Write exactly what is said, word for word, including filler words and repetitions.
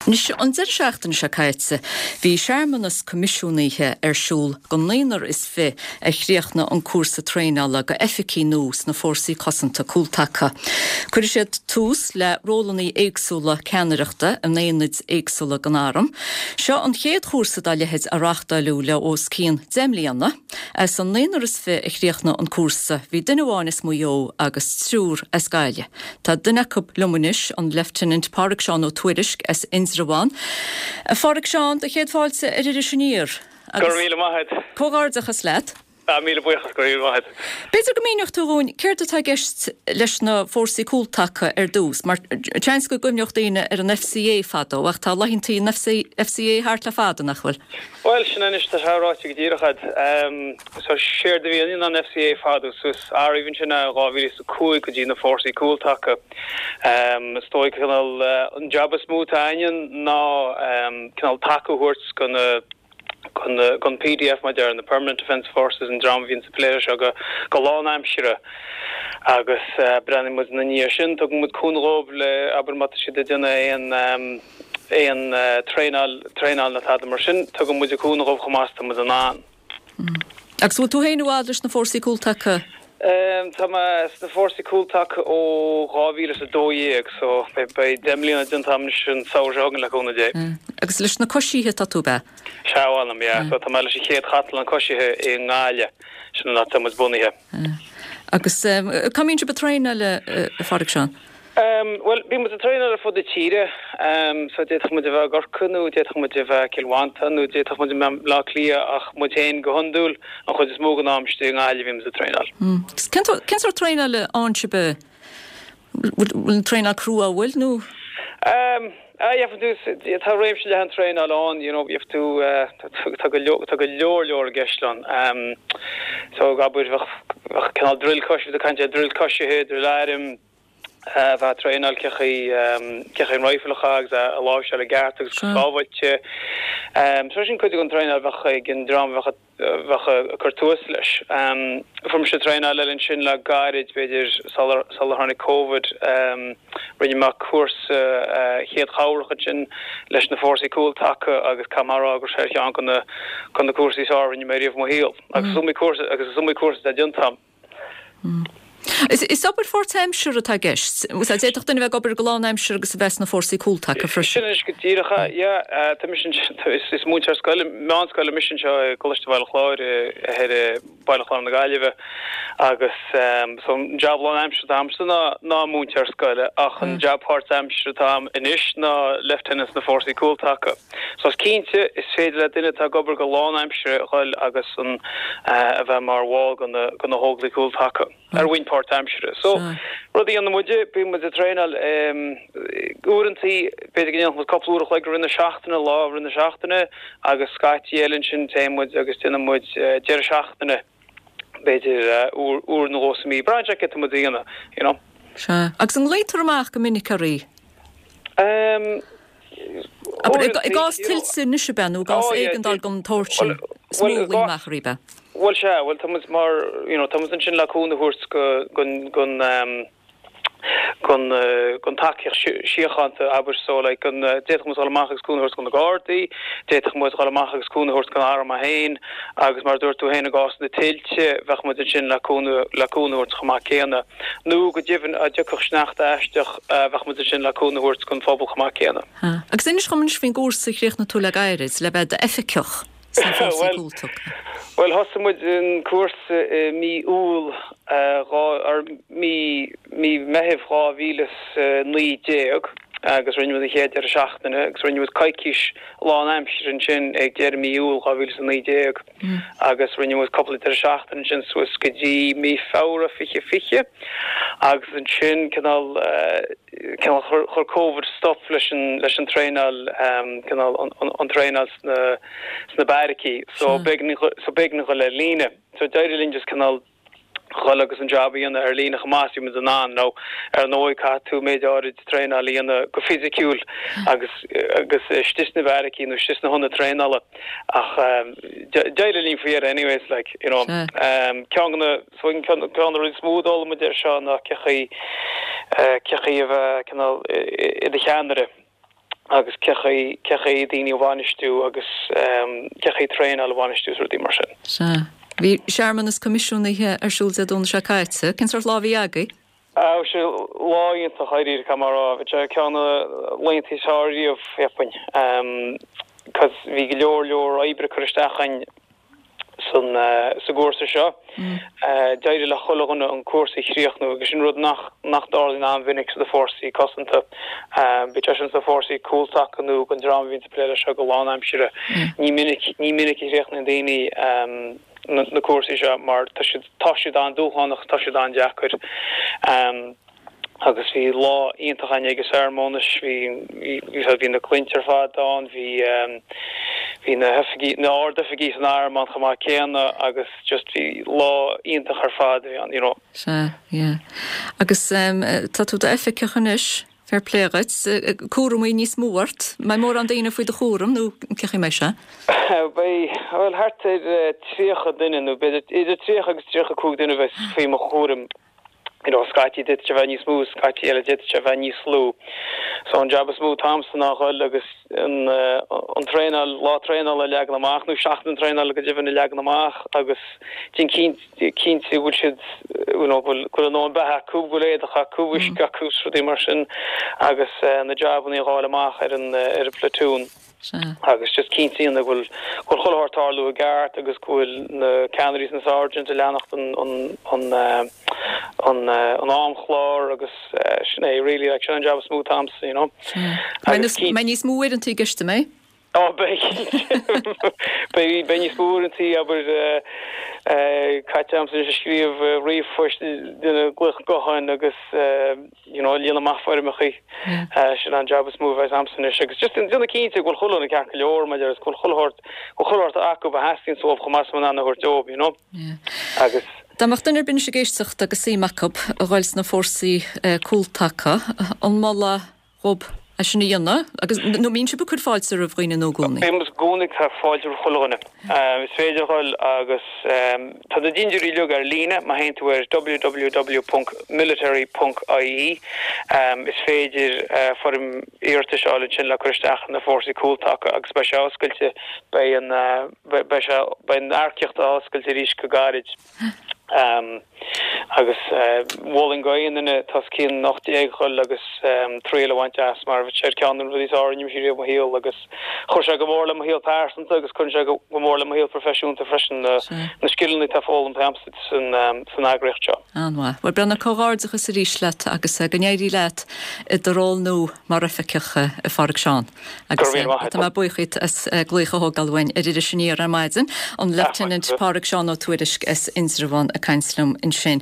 Anois an deireadh seachtaine seo caite, bhí searmanas coimisiúnaithe ar siúl go naonúr is fiche a chríochnaigh an cúrsa traenála go oifigigh nua sna Fórsaí Cosanta Cúltaca. Cuirfidh siad tús le rólanna éagsúla ceannaireachta in aonaid éagsúla den arm. Seo an chéad chúrsa dá leithéid a reáchtáladh le os cionn deich mbliana. As an naonúr is fiche a chríochnaigh an cúrsa, bhí duine amháin as Maigh Eo agus triúr as Gaillimh. Tá duine acu liom anois an Lieutenant Pádraig Seán Ó Tuairisg as Indreabhán. Pádraig Seán, do chéad fáilte ar Iris Aniar. Go raibh míle maith agat. Comhghairdeachas leat. Ah, míle buíochas go raibh maith agat. B'fhéidir go míneodh tú dúinn céard atá i gceist leis na fórsaí cúltaca ar dtús, mar seans go gcuimhneodh daoine ar an FCA fadó ach tá laethantaí an FCA thart le fada nach bhfuil. Well sin anois tá sé ráite go díreach agat. Um, so séard a bhí in an FCA fadó suas ariamh ansin a dhá mhíle is a cúig go dtí na fórsaí cúltaca. Um, is dóigh cineál uh, an job is mó atá againn ná um, cineál taca a thabhairt go na gon PDF mar deir na Permanent Defence Forces an dream a bhíonn sa plé seo go go lánaimseartha agus uh, breathnaíonn muid ina ndiaidh sin tugann muid cúnamh dóibh le abair má tá siad ag déanamh aon um, aon uh, traenáil traenáil nó tada mar sin tugann muid cúnamh dóibh chomh maith is atá muid in ann. Mm. Agus bhfuil tú féin i bhfad leis na fórsaí cúltaca? Um, tá mé sna fórsaí cúltaca ó dhá mhíle is a dó dhéag so beidh deich mbliana déanta agam anois an samhradh seo chugainn le cúnamh Dé. Mm. Agus leis na coisithe tá tú be? Sea, yeah, so tá mé leis an chéad chathlán coisithe i nGaillimh sin an áit atá muid bunaithe. Mm. Agus um, cá mbíonn sibh ag traenáil a Phádraig Seán? Um, well, bíonn muid ag traenáil ar fud na tíre, um, so d'fhéadfadh muid a bheith i gCorcaigh nó d'fhéadfadh muid a bheith Cill Mhantáin nó d'fhéadfadh muid a bheith Bleá Cliath ach muid féin go hiondúil an chuid is mó den am istigh i nGaillimh bíonn muid ag traenáil. Mm. Cén sórt traenáil a fhaigheann sibh bhfuil an traenáil crua bhfuil nó? Um, Ah, tú tá réimse leathan traenáil ann, you know, tú uh, tá go tá go leor leor i gceist ann. Um, so abair bheadh cineál drill cois caint drill coisithe, drill airm, uh, bheith traenáil cé cé an rifle agus a láimhseáil i gceart agus sábháilte. Um, so sin cuid den traenáil bheadh ag an dream bheadh bheadh ag cur tús leis. Um, Fuair mise traenáil eile ansin le gairid b'fhéidir sular tháinig Covid um, rinne mé cúrsa uh, chéad chabhrach ansin leis na fórsaí cúltaca agus camrá gur sé cheann de na de na cúrsaí is fearr a rinne mé riamh i mo shaol. Agus is iomaí cúrsa agus is iomaí cúrsa atá déanta agam. Mm. Is, is obair pháirtaimseartha atá i gceist. D'fhéadfadh duine bheith ag obair go lánaimseartha agus a bheith sna fórsaí cúltaca freisin. Sin go díreach yeah, tá is múinteoir scoile meánscoile mise anseo i gColáiste Bhaile Chláir ar Baile Chláir na Gaillimhe agus um, so an job lánaimseartha atá agamsa ná ná múinteoir scoile ach an job páirtaimseartha atá agam anois ná lieutenant na fórsaí cúltaca. So is cinnte is féidir le duine atá ag obair go lánaimseartha dhul agus an uh, a bheith mar bhall de na de na hÓglaigh Cúltaca. ar bhonn páirtaimseartha. So rud a dhéanann muide bíonn muid ag traenáil um, uaireanta b'fhéidir go ndéanann cúpla uair a chloig i rith na seachtaine lá i rith na seachtaine agus scaití eile ansin téann muid agus déanann muid uh, deireadh seachtaine b'fhéidir uh, uair uair nó dhó sa mhí. Braitheann sé cad tá muid a dhéanamh, you know. Sea. Agus an nglaotar amach go minic oraibh? Um, I gcás tuilte anois ab ea nó i gcás éigeandáil den tsórt sin is mó a ghlaotar amach oraibh. Well sea, well tá muid mar you know, tá muid ansin le cúnamh a thabhairt go gon gon um, gon uh, gon tacaíocht síochánta abair so like gon uh, d'fhéadfadh muid dul amach agus cúnamh a thabhairt do na Gardaí, d'fhéadfadh muid dul amach agus cúnamh a thabhairt don arm féin agus mar dúirt tú féin i gcás na tuilte bheadh muid ansin le cúnamh le cúnamh a thabhairt chomh maith céanna. Nó go deimhin dá dtiocfadh sneachta aisteach uh, bheadh muid ansin le cúnamh a thabhairt don phobal chomh maith céanna. Agus inis dom anois faoin gcúrsa a chríochnaigh tú le gairid le bheith d'oifigeach sna fórsaí cúltaca. Well thosaigh muid an cúrsa i mí Iúil ar mí mí Mheithimh dhá mhíle naoi déag agus rinne muid an chéad deireadh seachtaine agus rinne muid coicís lánaimseartha ansin ag deireadh mí Iúil dhá mhíle naoi déag agus rinne muid cúpla deireadh seachtaine ansin suas go dtí mí Feabhra fiche fiche agus ansin cineál cineál chuir Covid stop leis an leis an traenáil cineál an traenáil sna sna beairicí so b'éigean so b'éigean dul ar líne so d'éirigh linn just cineál dhul agus an job a dhéanamh ar líne chomh maith is bhí muid in ann nó ar ndóigh caithfidh tú méid áirid traenáil a dhéanamh go fisiciúil agus agus istigh sna beairicí nó istigh sna hionaid traenála ach d'éirigh linn faoi dheireadh anyways like you know um, ceann de na so ceann de na rudaí is mó a d'fhoghlaim muid air seo ná cé chaoi cé chaoi a bheith cineál i do cheannaire. agus cé chaoi cé chaoi daoine a bhainistiú agus cé chaoi traenáil a bhainistiú is rudaí mar sin. Sea. Bhí searmanas coimisiúnaithe ar siúl Dé Domhnaigh seo caite. Cén sórt lá a bhí agaibh? Bhí sé lá iontach dáiríre caithfidh mé a rá. Bhí sé ceann de na laethanta is fearr riamh, cheapfainn. Cos bhí go leor leor oibre curtha isteach againn san sa gcúrsa seo. D'éirigh le chuile dhuine an cúrsa a chríochnú agus sin rud nach nach dtarlaíonn an-mhinic sna fórsaí cosanta. Bíodh sé sin sna fórsaí cúltaca nó don dream a bhíonn ag plé leis seo go lánaimseartha. Ní minic ní minic a chríochnaíonn daoine na cúrsaí seo mar tá siad tá siad an-dúshlánach, tá siad an-deacair. Agus bhí lá iontach againn ag an searmanas, bhí bhí na cliaint ar fad ann, bhí bhí na hoifigí na hardoifigigh san arm ann chomh maith céanna agus just bhí lá iontach ar fad a bhí ann, you know. Sea, yeah. Agus tá tú i d'oifigeach anois, fair play dhuit, cúramaí níos mó ort, mbeidh mórán daoine faoi do chúram nó cé chaoi mbeidh sé? Beidh, bhuel thart ar tríocha duine nó b'fhéidir idir tríocha agus tríocha cúig duine a bheas faoi mo chúram. You know, scaití d'fhéadfadh sé bheith níos mó, scaití eile d'fhéadfadh sé bheith níos lú. So an jab is mó atá a'msa ná dhul agus an an traenáil, lá traenála a leagan amach nó seachtain traenála go deimhin a leagan amach agus déanamh cinnte go bhfuil siad you know, go bhfuil go bhfuil a ndóthain beatha acu, go bhfuil éadach acu, uisce acu, rudaí mar sin agus na jabanna a dháileadh amach ar an ar an platoon. Agus just cinnte go bhfuil go bhfuil chuile shórt ag tarlú i gceart agus go bhfuil na ceannairí is na sergeants ag leanacht an an an an an amchlár agus sin é really like sin an job is mó atá a'msa you know. Agus mbeidh níos mó uaireanta i gceist an mbeidh? Ó beidh beidh beidh níos mó uaireanta abair caite a'msa ag scríobh ríomhphoist déanamh glaoch gutháin agus you know líonadh amach foirmeacha. Sin an job is mó a bheas a'msa anois agus just déanamh cinnte go bhfuil chuile dhuine ceart go leor maidir go bhfuil chuile shórt go bhfuil chuile shórt acu a theastaíonn uathu chomh maith is a thabhairt dóibh you know. Agus Dá mbeadh duine ar bith anois ag éisteacht agus suim acu a dhul sna fórsaí cúltaca, an molfá dhóibh é sin a dhéanamh agus nó mbíonn sibh ag cur fáilte roimh dhaoine nua i gcónaí? Bíonn i gcónaí ag cur fáilte roimh chuile dhuine. Is féidir a dhul agus tá na dintiúirí uilig ar líne má théann tú ar www ponc military ponc ie is féidir foirm iarratais a fháil ansin le cur isteach na fórsaí cúltaca agus beidh sé oscailte beidh an beidh sé beidh an earcaíocht á oscailt arís go gairid. Agus mholfainn d'aon duine atá os cionn ocht déag a dhul agus triail a bhaint as mar bhí sé ar ceann de na rudaí is fearr a rinne mise riamh i mo shaol agus chuir sé go mór le mo shaol pearsanta agus cuireann sé go mór le mo shaol proifisiúnta freisin na scileanna atá foghlamtha a'msa san eagraíocht seo. An-mhaith. Bhuel Breandán, comhghairdeachas arís leat agus go n-éirí leat i do ról nua mar oifigeach a Phádraig Seán. Agus tá mé buíoch díot as glaoch a thógáil uainn ar Iris Aniar ar maidin, an Lieutenant Pádraig Seán Ó Tuairisg as Indreabhán ag caint liom ansin.